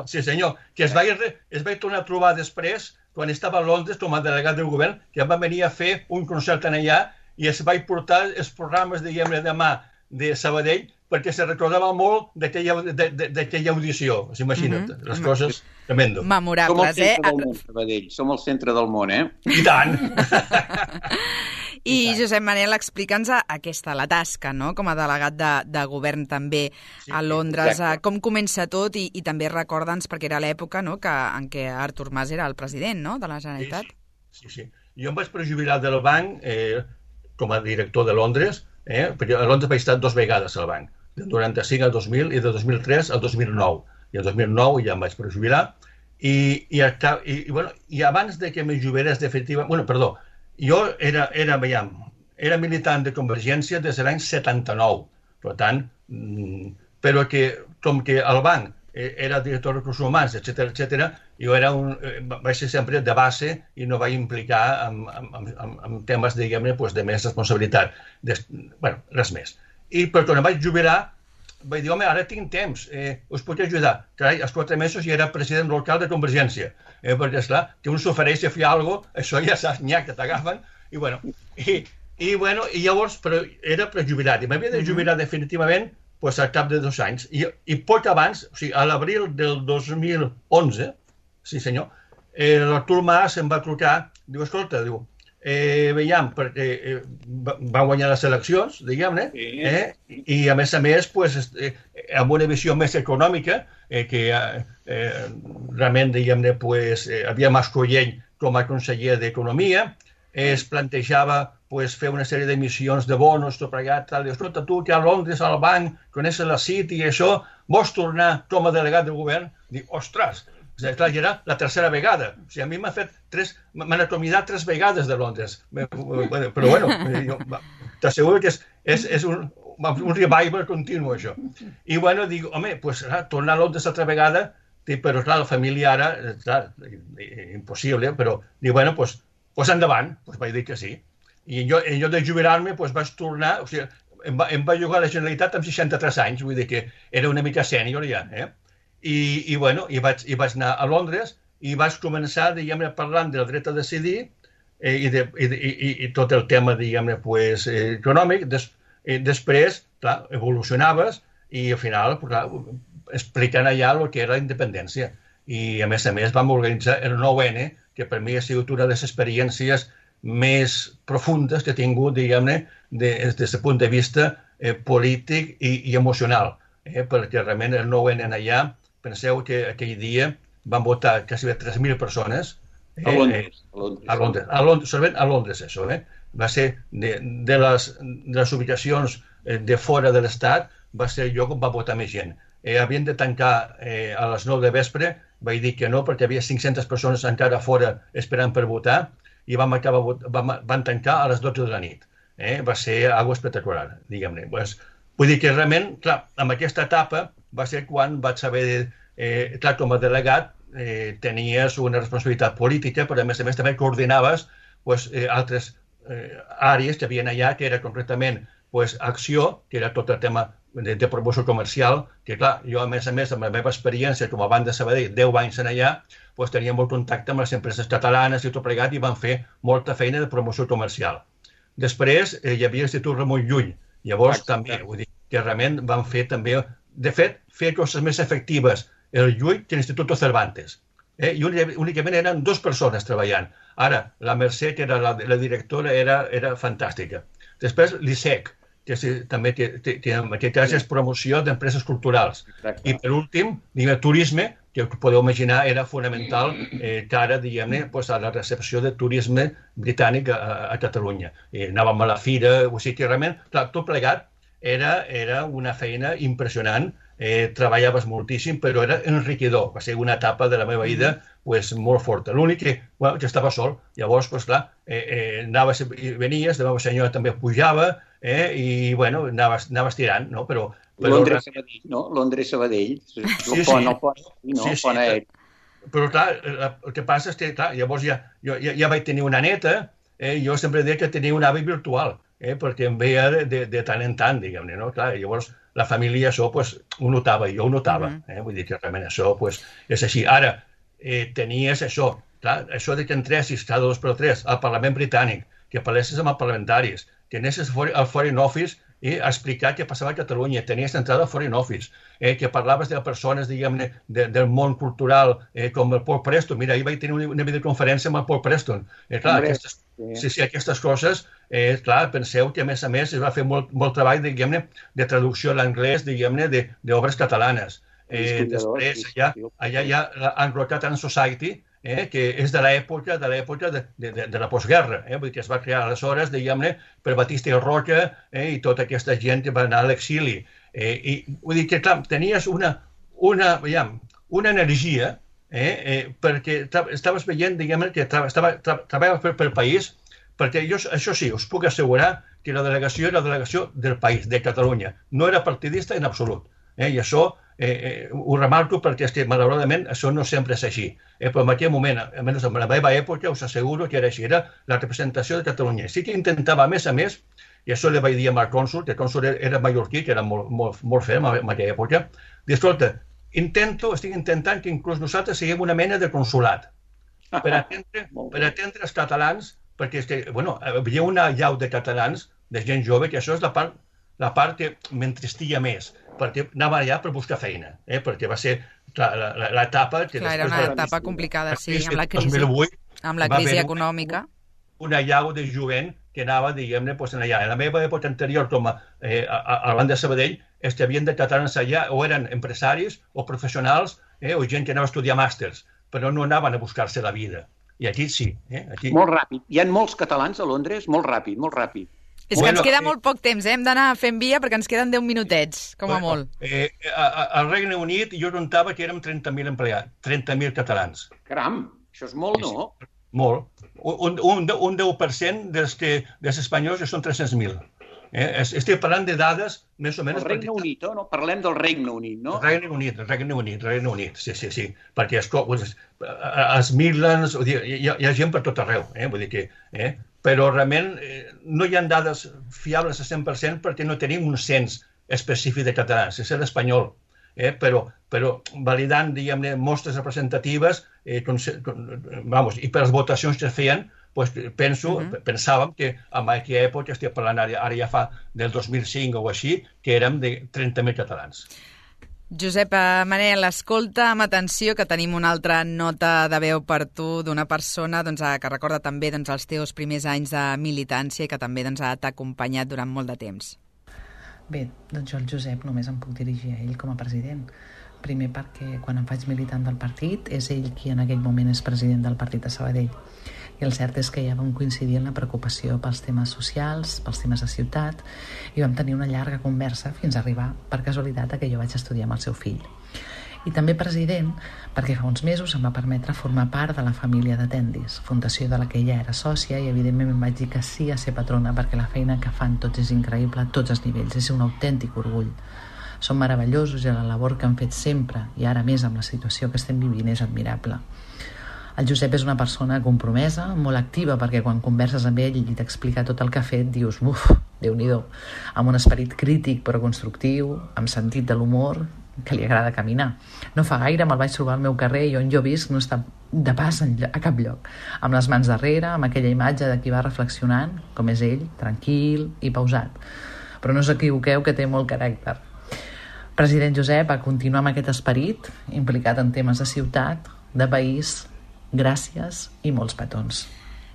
Sí, senyor, que es va tornar a trobar després, quan estava a Londres com a delegat del govern, que va venir a fer un concert allà i es va portar els programes, diguem-ne, de mà de Sabadell, perquè se recordava molt d'aquella audició. Imagina't, les coses tremendo. Memorables, Som el centre del món, I tant! I Josep Manel, explica'ns la tasca, no?, com a delegat de govern també a Londres. Com comença tot i també recorda'ns, perquè era l'època en què Artur Mas era el president de la Generalitat. Sí. Jo em vaig prejubilar del banc com a director de Londres, perquè a Londres vaig estar 2 vegades al banc, del 95 al 2000 i del 2003 al 2009. I el 2009 ja em vaig prejubilar i abans de que me jubilés definitivament... Jo era militant de Convergència des de l'any 79, per tant, però com que el banc era director de recursos humans, etc., jo vaig ser sempre de base i no vaig implicar en temes, diguem-ne, de més responsabilitat. Res més. Però quan em vaig jubilar, vaig dir, home, ara tinc temps, us puc ajudar. Carai, als 4 mesos ja era president local de Convergència, perquè, esclar, que un s'ofereix a fer alguna cosa, això ja saps, nyà, que t'agafen, i llavors, però era prejubilat, i m'havia de jubilar definitivament al cap de 2 anys, i poc abans, o sigui, a l'abril del 2011, sí senyor, l'Artur Mas em va trucar, diu, escolta, diu, veiem, perquè va guanyar les eleccions, diguem-ne, i a més, amb una visió més econòmica, que realment, diguem-ne, havia Mas-Collell com a conseller d'Economia, es plantejava fer una sèrie d'emissions de bonos, tot plegat, tal, i escolta, tu que a Londres, al banc, coneixes la City i això, vols tornar com a delegat del govern? Dic, ostres, clar, ja era la 3a vegada. O sigui, a mi m'han acomiadat 3 vegades de Londres. Però bueno, t'asseguro que és un revival continu, això. I bueno, dic, home, tornar a Londres altra vegada, però clar, la família ara, impossible, però dic, bueno, doncs endavant, vaig dir que sí. I en lloc de jubilar-me, vaig tornar, o sigui, em va jugar a la Generalitat amb 63 anys, vull dir que era una mica sènior ja, I vaig anar a Londres i vaig començar, diguem-ne, parlant del dret a decidir i tot el tema, diguem-ne, econòmic. Després, clar, evolucionaves i al final, explicant allà el que era la independència. I a més vam organitzar el 9N, que per mi ha sigut una de les experiències més profundes que he tingut, diguem-ne, des del punt de vista polític i emocional, perquè realment el 9N allà, penseu que aquell dia van votar quasi 3.000 persones. A Londres. A Londres, això. Va ser de les ubicacions de fora de l'Estat, va ser el lloc on va votar més gent. Havien de tancar a les 9 de vespre, vaig dir que no, perquè hi havia 500 persones encara fora esperant per votar, i van tancar a les 12 de la nit. Va ser algo espectacular, diguem-ne. Vull dir que realment, clar, amb aquesta etapa va ser quan vaig saber, clar, com a delegat tenies una responsabilitat política, però a més també coordinaves altres àrees que hi havia allà, que era concretament acció, que era tot el tema de promoció comercial, que clar, jo a més, amb la meva experiència com a banc de Sabadell, 10 anys en allà, tenia molt contacte amb les empreses catalanes i tot plegat, i van fer molta feina de promoció comercial. Després hi havia l'Institut Ramon Llull, llavors també, vull dir, que realment van fer també, de fet, fer coses més efectives el Llull que l'Institut Cervantes. I únicament eren 2 persones treballant. Ara, la Mercè, que era la directora, era fantàstica. Després, l'ISEC, que també és promoció d'empreses culturals. I per últim, turisme, que podeu imaginar era fonamental que ara, diguem-ne, a la recepció de turisme britànic a Catalunya. Anàvem a la fira, o sigui que realment, tot plegat era una feina impressionant, treballaves moltíssim, però era enriquidor. Va ser una etapa de la meva vida molt forta. L'únic que estava sol, llavors, clar, anaves i venies, la meva senyora també pujava, i, bueno, anaves tirant, no? Però Londres-Sabadell, no? Londres-Sabadell. Sí. Però, clar, el que passa és que, clar, llavors ja vaig tenir una neta, jo sempre deia que tenia un avi virtual, perquè em veia de tant en tant, diguem-ne, no? Clar, llavors la família això ho notava, jo ho notava, vull dir que realment això és així. Ara, tenies això, clar, això de que entressis cada 2x3 al Parlament Britànic, que parlessis amb els parlamentaris, que anessis al Foreign Office a explicar què passava a Catalunya, tenies entrada al Foreign Office, que parlaves de persones, diguem-ne, del món cultural, com el Paul Preston. Mira, ahir vaig tenir una videoconferència amb el Paul Preston. Clar, aquestes coses, clar, penseu que a més es va fer molt treball, diguem-ne, de traducció a l'anglès, diguem-ne, d'obres catalanes. Després, allà hi ha l'Anglo-Catalan Society, que és de l'època de la postguerra, vull dir que es va crear aleshores, diguem-ne, per Batista i Roca i tota aquesta gent que va anar a l'exili. I vull dir que, clar, tenies una energia, perquè estaves veient, diguem-ne, que treballaves pel país, perquè jo, això sí, us puc assegurar que la delegació era la delegació del país, de Catalunya. No era partidista en absolut. I això ho remarco perquè és que, malauradament, això no sempre és així. Però en aquell moment, almenys en la meva època, us asseguro que era així, era la representació de Catalunya. Sí que intentava, a més, i això li vaig dir amb el cònsol, que el cònsol era mallorquí, que era molt ferm en aquella època, dir, escolta, estic intentant que inclús nosaltres siguem una mena de consulat per atendre els catalans, perquè és que, bueno, hi havia una llau de catalans, de gent jove, que això és la part que m'entristia més, perquè anava allà per buscar feina, perquè va ser l'etapa... Clar, era una etapa complicada, sí, amb la crisi econòmica. Una llau de jovent que anava, diguem-ne, allà. En la meva època anterior, com a banda de Sabadell, havien de catalans allà, o eren empresaris o professionals, o gent que anava a estudiar màsters, però no anaven a buscar-se la vida. I aquí sí. Molt ràpid. Hi ha molts catalans a Londres? Molt ràpid, molt ràpid. És que ens queda molt poc temps, hem d'anar fent via perquè ens queden 10 minutets, com a molt. Al Regne Unit jo comptava que érem 30.000 empleats, 30.000 catalans. Caram, això és molt, no? Molt. Un 10% dels espanyols són 300.000. Estic parlant de dades més o menys... El Regne Unit, no? Parlem del Regne Unit, no? El Regne Unit, sí. Perquè als Midlands, hi ha gent per tot arreu, vull dir que... Però realment no hi ha dades fiables a 100% perquè no tenim un cens específic de catalans, és l'espanyol. Però validant, diguem-ne, mostres representatives i per les votacions que es feien, pensàvem que en aquella època, estic parlant ara ja fa del 2005 o així, que érem de 30.000 catalans. Josep Manel, escolta amb atenció que tenim una altra nota de veu per tu d'una persona que recorda també els teus primers anys de militància i que també t'ha acompanyat durant molt de temps. Bé, doncs jo al Josep només em puc dirigir a ell com a president. Primer perquè quan em faig militant del partit és ell qui en aquell moment és president del partit de Sabadell. I el cert és que ja vam coincidir en la preocupació pels temes socials, pels temes de ciutat, i vam tenir una llarga conversa fins a arribar, per casualitat, que jo vaig estudiar amb el seu fill. I també president perquè fa uns mesos em va permetre formar part de la família de Tendis, fundació de la que ella era sòcia, i evidentment em vaig dir que sí a ser patrona perquè la feina que fan tots és increïble a tots els nivells, és un autèntic orgull. Són meravellosos i la labor que han fet sempre, i ara més amb la situació que estem vivint, és admirable. El Josep és una persona compromesa, molt activa, perquè quan converses amb ell i t'explica tot el que ha fet, dius, uf, Déu-n'hi-do, amb un esperit crític però constructiu, amb sentit de l'humor, que li agrada caminar. No fa gaire me'l vaig trobar al meu carrer i on jo visc no està de pas a cap lloc, amb les mans darrere, amb aquella imatge de qui va reflexionant, com és ell, tranquil i pausat. Però no us equivoqueu que té molt caràcter. President Josep, a continuar amb aquest esperit, implicat en temes de ciutat, de país. Gràcies i molts petons.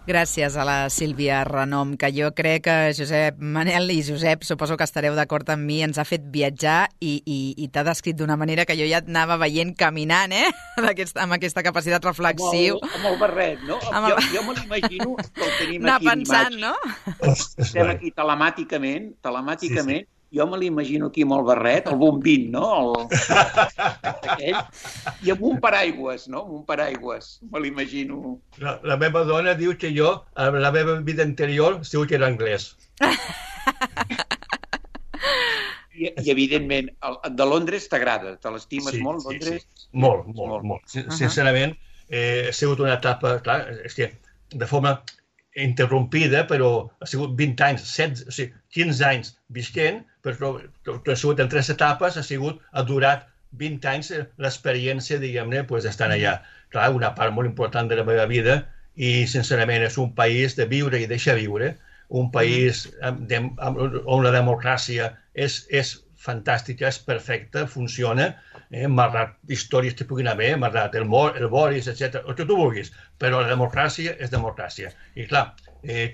Gràcies a la Sílvia Renom, que jo crec que Josep Manel i Josep, suposo que estareu d'acord amb mi, ens ha fet viatjar i t'ha descrit d'una manera que jo ja anava veient caminant, amb aquesta capacitat reflexiu. Amb el barret, no? Jo me l'imagino que el tenim anar aquí pensant, en no? Estem aquí telemàticament, sí. Jo me l'imagino aquí amb el barret, el bombín, no? Aquell, i amb un paraigües, no? Amb un paraigües, me l'imagino. La meva dona diu que jo, a la meva vida anterior, segur que era anglès. I evidentment, de Londres t'agrada, te l'estimes molt, Londres? Sí. Molt. Sincerament, ha sigut una etapa, clar, és que de forma interrompida, però ha sigut 20 anys, 15 anys visquent, però ha sigut en 3 etapes, ha durat 20 anys l'experiència, diguem-ne, d'estar allà. Clar, una part molt important de la meva vida i, sincerament, és un país de viure i deixar viure, un país on la democràcia és fantàstica, és perfecta, funciona, malgrat històries que puguin haver, malgrat el Boris, etc., el que tu vulguis, però la democràcia és democràcia. I clar,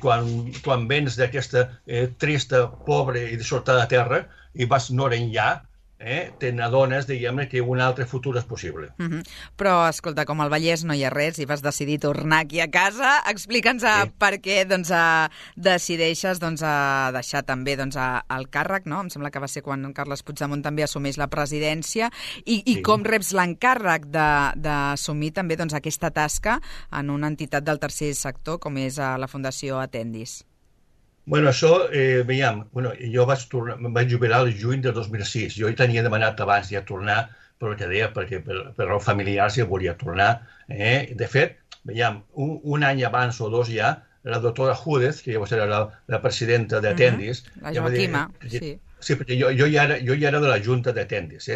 quan vens d'aquesta trista, pobra i dissortada terra i vas no enllà, te n'adones, diguem-ne, que un altre futur és possible. Però, escolta, com al Vallès no hi ha res i vas decidir tornar aquí a casa, explica'ns per què decideixes deixar també el càrrec, no? Em sembla que va ser quan Carles Puigdemont també assumeix la presidència i com reps l'encàrrec d'assumir també aquesta tasca en una entitat del tercer sector com és la Fundació Atendis. Bueno, això, veiem, jo em vaig jubilar el juny de 2006. Jo hi tenia demanat abans ja tornar, però que deia, perquè per raons familiars ja volia tornar. De fet, veiem, un any abans o dos ja, la doctora Júdez, que llavors era la presidenta d'Atendis... La Joaquima, sí. Sí, perquè jo ja era de la Junta d'Atendis,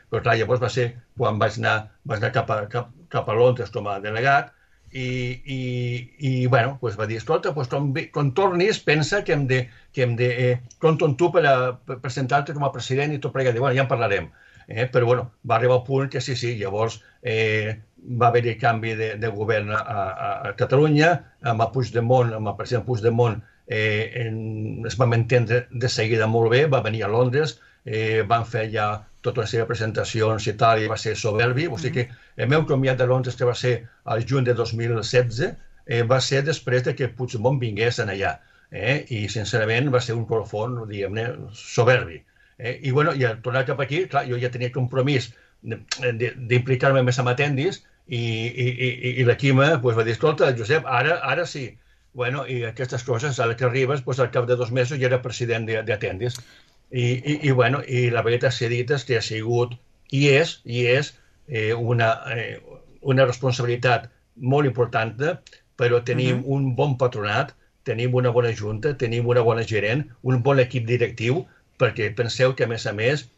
però clar, llavors va ser quan vaig anar cap a Londres com a delegat, i bueno, va dir, escolta, quan tornis pensa que hem de compto amb tu per presentar-te com a president i tot plegat. Bueno, ja en parlarem. Però bueno, va arribar al punt que sí, llavors va haver-hi canvi de govern a Catalunya, amb el president Puigdemont es vam entendre de seguida molt bé, va venir a Londres, van fer ja tota una sèrie de presentacions i tal, i va ser soberbi. O sigui que el meu comiat de Londres, que va ser al juny de 2016, va ser després que Puigdemont vingués allà. I, sincerament, va ser un colofon, diguem-ne, soberbi. I, bueno, i al tornar cap aquí, clar, jo ja tenia compromís d'implicar-me més amb Atendis, i la Quima va dir, escolta, Josep, ara sí. Bueno, i aquestes coses, ara que arribes, al cap de 2 mesos ja era president d'Atendis. I la veritat s'ha dit és que ha sigut i és una responsabilitat molt important, però tenim un bon patronat, tenim una bona junta, tenim una bona gerent, un bon equip directiu, perquè penseu que, a més,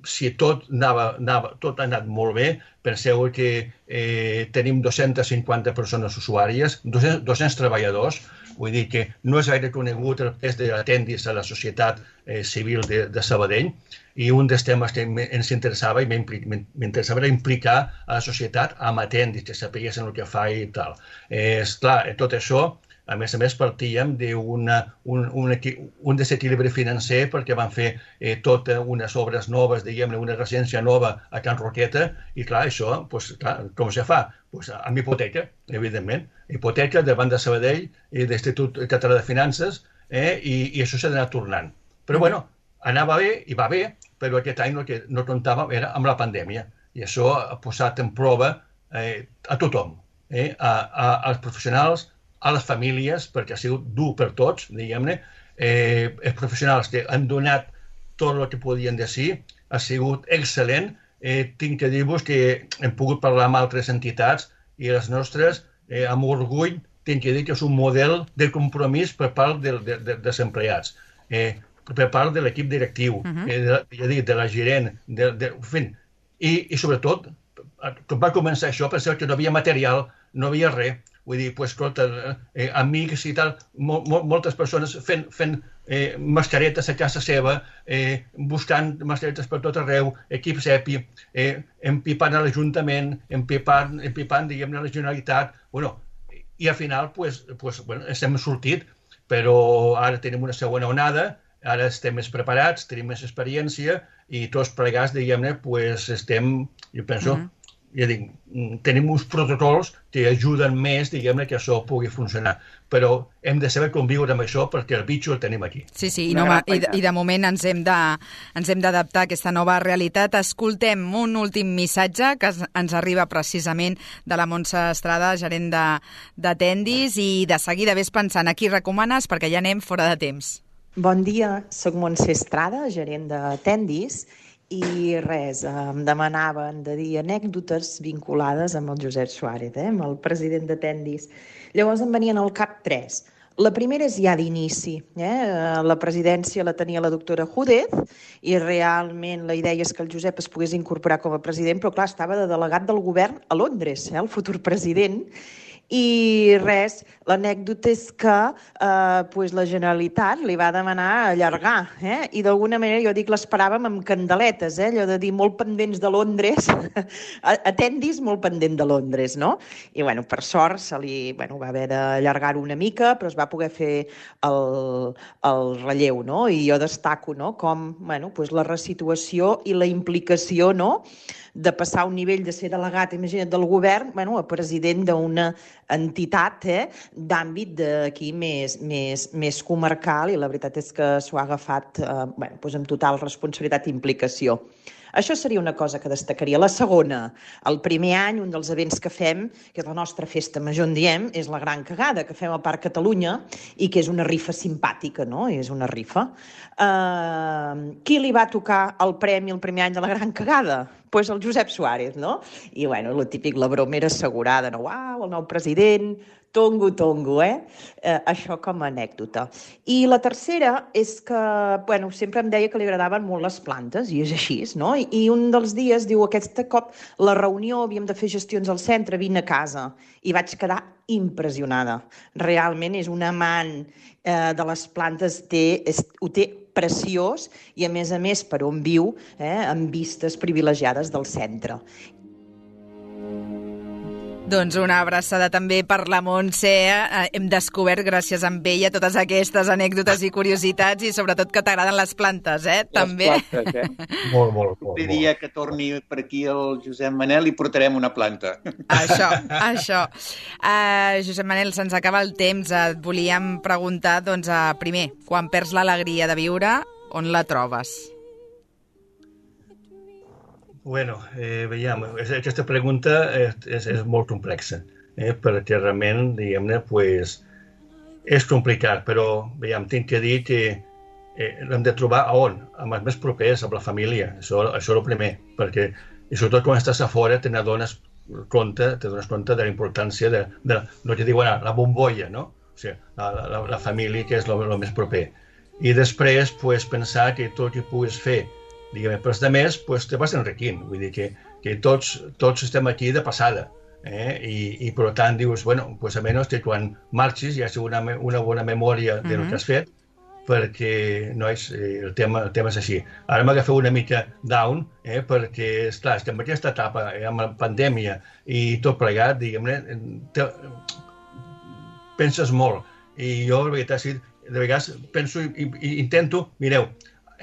si tot ha anat molt bé, penseu que tenim 250 persones usuàries, 200 treballadors. Vull dir que no és gaire conegut el pes d'Atendis a la societat civil de Sabadell, i un dels temes que ens interessava i m'interessava era implicar a la societat amb Atendis, que sapiguessin el que fa i tal. Esclar, tot això, a més, partíem d'un desequilibri financer perquè van fer totes unes obres noves, diguem-ne, una residència nova a Can Roqueta, i clar, això, com se fa? Amb hipoteca, evidentment. Hipoteca davant de Sabadell i d'Institut Català de Finances, i això s'ha d'anar tornant. Però, bueno, anava bé i va bé, però aquest any el que no comptàvem era amb la pandèmia, i això ha posat en prova a tothom, als professionals, a les famílies, perquè ha sigut dur per tots, diguem-ne. Els professionals que han donat tot el que podien dir, ha sigut excel·lent. Tinc que dir-vos que hem pogut parlar amb altres entitats i les nostres, amb orgull, tinc que dir que és un model de compromís per part dels empleats, per part de l'equip directiu, de la gerent, i sobretot, quan va començar això, pensava que no havia material, no havia res. Vull dir, escolta, amics i tal, moltes persones fent mascaretes a casa seva, buscant mascaretes per tot arreu, equips EPI, empipant a l'Ajuntament, empipant, diguem-ne, a la Generalitat. I al final, ens hem sortit, però ara tenim una segona onada, ara estem més preparats, tenim més experiència, i tots plegats, diguem-ne, estem, jo penso, ja dic, tenim uns protocols que ajuden més, diguem-ne, que això pugui funcionar. Però hem de saber conviure amb això perquè el bitxo el tenim aquí. Sí, i de moment ens hem d'adaptar a aquesta nova realitat. Escoltem un últim missatge que ens arriba precisament de la Montse Estrada, gerent d'Atendis, i de seguida ves pensant a qui recomanes perquè ja anem fora de temps. Bon dia, soc Montse Estrada, gerent d'Atendis, i res, em demanaven de dir anècdotes vinculades amb el Josep Suárez, amb el president d'Atendis. Llavors em venien al cap 3. La primera és ja d'inici. La presidència la tenia la doctora Júdez i realment la idea és que el Josep es pogués incorporar com a president, però clar, estava de delegat del govern a Londres, el futur president, I res, l'anècdota és que la Generalitat li va demanar allargar, i d'alguna manera jo dic l'esperàvem amb candeletes, allò de dir molt pendents de Londres, atendis molt pendent de Londres, no? I bueno, per sort se li va haver d'allargar-ho una mica, però es va poder fer el relleu, no? I jo destaco, no?, com la resituació i la implicació, no?, de passar a un nivell de ser delegat, imagina't, del govern, a president d'una entitat d'àmbit d'aquí més comarcal, i la veritat és que s'ho ha agafat amb total responsabilitat i implicació. Això seria una cosa que destacaria. La segona, el primer any, un dels events que fem, que és la nostra festa major, en diem, és la Gran Cagada, que fem al Parc Catalunya i que és una rifa simpàtica, no? És una rifa. Qui li va tocar el premi el primer any de la Gran Cagada? Doncs el Josep Suárez, no? I, el típic, la broma era assegurada, no? Uau, el nou president, tongo, això com a anècdota. I la tercera és que, sempre em deia que li agradaven molt les plantes, i és així, no? I un dels dies diu, aquest cop la reunió, havíem de fer gestions al centre, vine a casa, i vaig quedar impressionada. Realment és un amant de les plantes, ho té preciós, i a més, per on viu, amb vistes privilegiades del centre. Doncs una abraçada també per la Montse. Hem descobert, gràcies a ella, totes aquestes anècdotes i curiositats, i sobretot que t'agraden les plantes, també. Les plantes, Molt. El dia que torni per aquí el Josep Manel li portarem una planta. Això. Josep Manel, se'ns acaba el temps. Et volíem preguntar, primer, quan perds l'alegria de viure, on la trobes? Bueno, veiem, aquesta pregunta és molt complexa, perquè realment, diguem-ne, és complicat, però, veiem, tinc que dir que l'hem de trobar a on? Amb els més propers, amb la família, això és el primer, perquè, i sobretot quan estàs a fora, te dones compte de la importància de no te diuen la bombolla, no? O sigui, la família, que és el més proper. I després, pensar que tot el que puguis fer, diguem, però a més, te vas enriquint. Vull dir que tots estem aquí de passada. I per tant dius, almenys que quan marxis hi hagi una bona memòria del que has fet, perquè el tema és així. Ara m'agafeu una mica down, perquè, esclar, estem en aquesta etapa, amb la pandèmia i tot plegat, diguem-ne, penses molt. I jo, de vegades, penso i intento, mireu,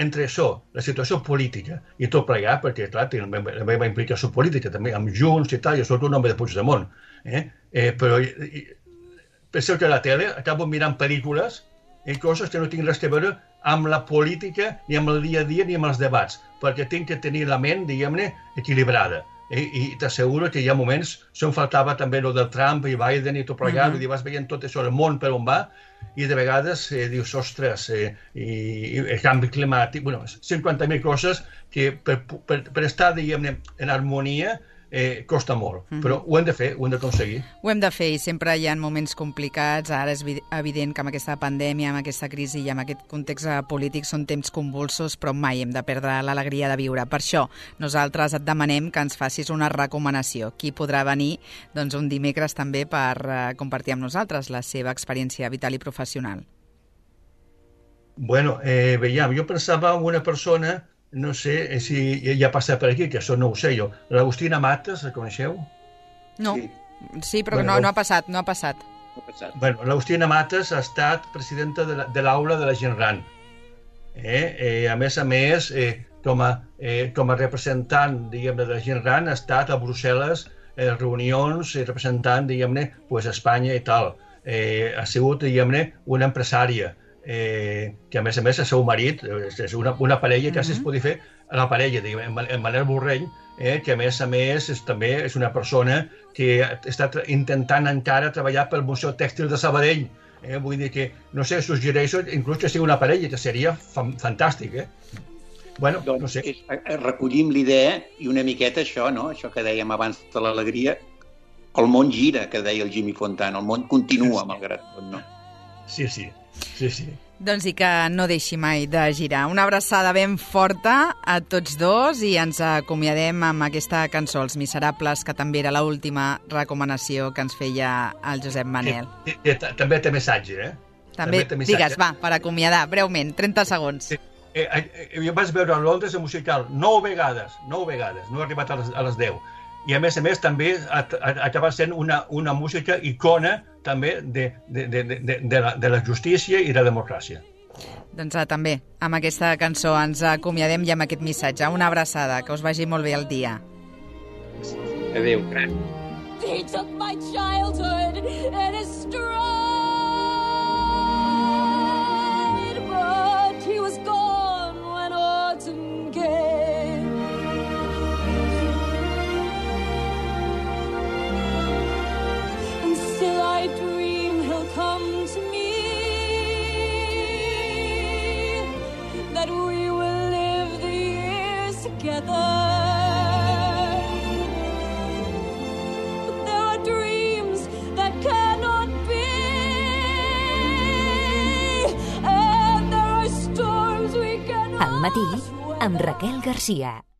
entre això, la situació política i tot plegat, perquè, clar, tinc la meva implicació política també, amb Junts i tal, jo soc un home de Puigdemont, però penseu que a la tele acabo mirant pel·lícules i coses que no tinc res a veure amb la política, ni amb el dia a dia, ni amb els debats, perquè tinc que tenir la ment, diguem-ne, equilibrada. I t'asseguro que hi ha moments, em faltava també el del Trump i Biden i tot plegat, i vas veient tot això, el món per on va, i de vegades dius, ostres, i el canvi climàtic, 50.000 coses que per estar, diguem-ne, en harmonia costa molt, però ho hem de fer, ho hem d'aconseguir. Ho hem de fer, i sempre hi ha moments complicats. Ara és evident que amb aquesta pandèmia, amb aquesta crisi i amb aquest context polític són temps convulsos, però mai hem de perdre l'alegria de viure. Per això nosaltres et demanem que ens facis una recomanació. Qui podrà venir un dimecres també per compartir amb nosaltres la seva experiència vital i professional? Veiem, jo pensava en una persona, no sé si ja ha passat per aquí, que això no ho sé jo. L'Agustina Matas, la coneixeu? No, sí, però no ha passat. L'Agustina Matas ha estat presidenta de l'aula de la gent gran. A més, com a representant, diguem-ne, de la gent gran, ha estat a Brussel·les, reunions, representant, diguem-ne, Espanya i tal. Ha sigut, diguem-ne, una empresària, que a més el seu marit és una parella que es pot fer a la parella, en Manel Borrell, que a més també és una persona que està intentant encara treballar pel Museu Tèxtil de Sabadell. Vull dir que, no sé, suggereixo inclús que sigui una parella, que seria fantàstic. No sé. Recollim l'idea i una miqueta això, no? Això que dèiem abans de l'alegria, el món gira, que deia el Jimmy Fontana, el món continua, malgrat tot, no? Sí. Doncs i que no deixi mai de girar. Una abraçada ben forta a tots dos i ens acomiadem amb aquesta cançó, Els Miserables, que també era l'última recomanació que ens feia el Josep Manel. També té missatge, També digues, va, per acomiadar, breument, 30 segons. Jo vaig veure a Londres el musical 9 vegades, no he arribat a les 10. I a més també acaba sent una música icona també de la justícia i de la democràcia. Doncs també, amb aquesta cançó ens acomiadem i amb aquest missatge. Una abraçada, que us vagi molt bé el dia. Adéu. He took my childhood in his stride, but he was gone when autumn came. Still I dream he'll come to me, that we will live the years together. But there are dreams that cannot be, and there are storms we cannot. Al matí, amb Raquel Garcia.